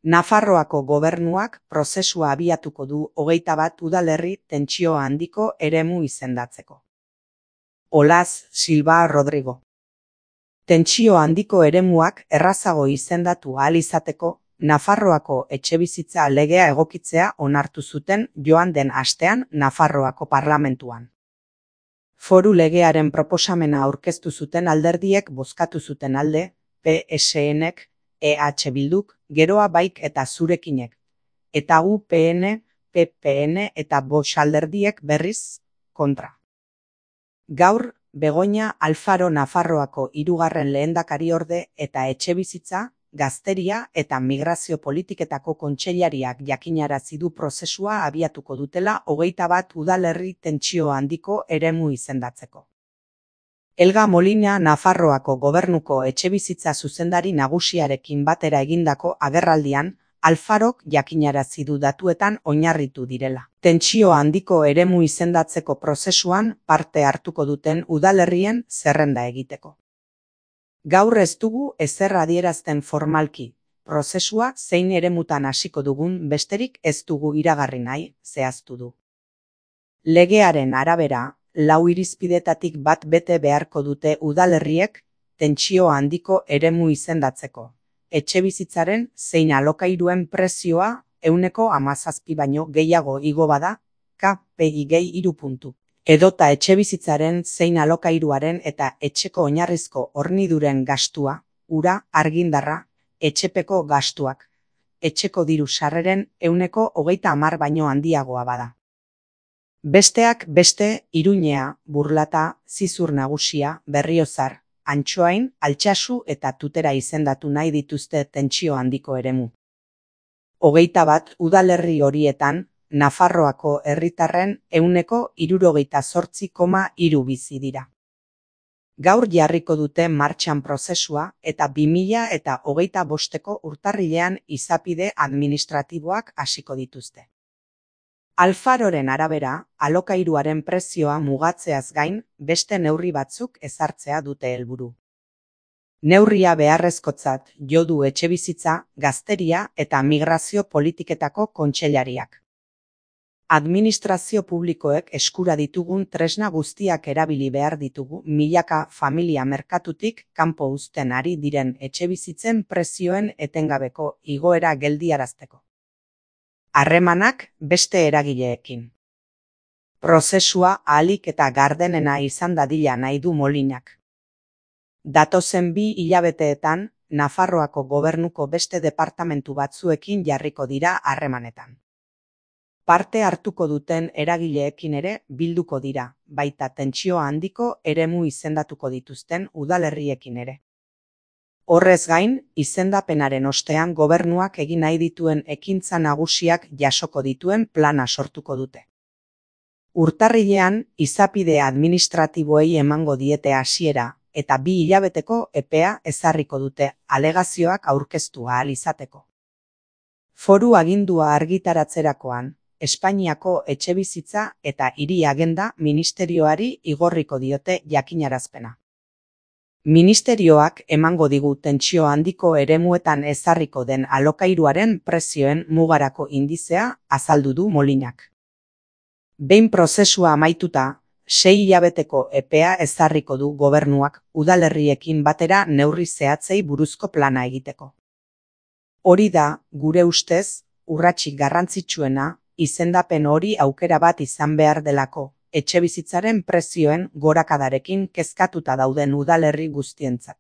Nafarroako gobernuak prozesua abiatuko du 21 udalerri tentsio handiko eremu izendatzeko. Olaz Silva Rodrigo. Tentsio handiko eremuak errazago izendatu ahal izateko, Nafarroako etxebizitza legea egokitzea onartu zuten joan den astean Nafarroako parlamentuan. Foru legearen proposamena aurkeztu zuten alderdiek bozkatu zuten alde, PSNek, EH Bilduk, Geroa Baik eta Zurekinek, eta UPN, PPN eta Vox alderdiek berriz kontra. Gaur, Begoña Alfaro Nafarroako 3. lehendakariorde eta etxebizitza, gazteria eta migrazio politiketako kontseilariak jakinarazi du prozesua abiatuko dutela 21 udalerri tentsio handiko eremu izendatzeko. Elga Molina Nafarroako gobernuko etxebizitza zuzendari nagusiarekin batera egindako agerraldian, Alfarok jakinarazi du datuetan oinarritu direla. Tentsio handiko eremu izendatzeko prozesuan parte hartuko duten udalerrien zerrenda egiteko. Gaur ez dugu ezer adierazten formalki, prozesua zein eremutan hasiko dugun besterik ez dugu iragarri nahi, zehaztu du. Legearen arabera, 4 irizpidetatik bat bete beharko dute udalerriek tentsio handiko eremu izendatzeko. Etxebizitzaren zein alokairuen prezioa 17% baino gehiago igo bada, KPI gehi 3 puntu. Edota etxebizitzaren zein alokairuaren eta etxeko oinarrizko horniduren gastua, ura, argindarra, etxepeko gastuak, etxeko diru sarreren 30% baino handiagoa bada. Besteak beste, Iruñea, Burlata, Zizur Nagusia, Berriozar, Antsoain, Altsasu eta Tutera izendatu nahi dituzte tentsio handiko eremu. 21 udalerri horietan, Nafarroako herritarren 68,3 bizi dira. Gaur jarriko dute martxan prozesua eta 2025ko urtarrilean izapide administratiboak hasiko dituzte. Alfaroren arabera, alokairuaren prezioa mugatzeaz gain, beste neurri batzuk ezartzea dute helburu. Neurria beharrezkotzat jo du etxebizitza, gazteria eta migrazio politiketako kontseilariak. Administrazio publikoek eskura ditugun tresna guztiak erabili behar ditugu milaka familia merkatutik kanpo uzten ari diren etxebizitzen prezioen etengabeko igoera geldiarazteko. Harremanak beste eragileekin. Prozesua ahalik eta gardenena izan dadila nahi du Molinak. Datozen 2 hilabeteetan, Nafarroako gobernuko beste departamentu batzuekin jarriko dira harremanetan. Parte hartuko duten eragileekin ere bilduko dira, baita tentsio handiko eremu izendatuko dituzten udalerriekin ere. Horrez gain, izendapenaren ostean gobernuak egin nahi dituen ekintza nagusiak jasoko dituen plana sortuko dute. Urtarrilean, izapide administratiboei emango diete hasiera eta 2 hilabeteko epea ezarriko dute alegazioak aurkeztu ahal izateko. Foru agindua argitaratzerakoan, Espainiako etxebizitza eta hiri agenda ministerioari igorriko diote jakinarazpena. Ministerioak emango digu tentsio handiko eremuetan ezarriko den alokairuaren prezioen mugarako indizea azaldu du Molinak. Behin prozesua amaituta, 6 hilabeteko epea ezarriko du gobernuak udalerriekin batera neurri zehatzei buruzko plana egiteko. Hori da, gure ustez, urratsik garrantzitsuena, izendapen hori aukera bat izan behar delako, etxebizitzaren prezioen gorakadarekin kezkatuta dauden udalerri guztientzat.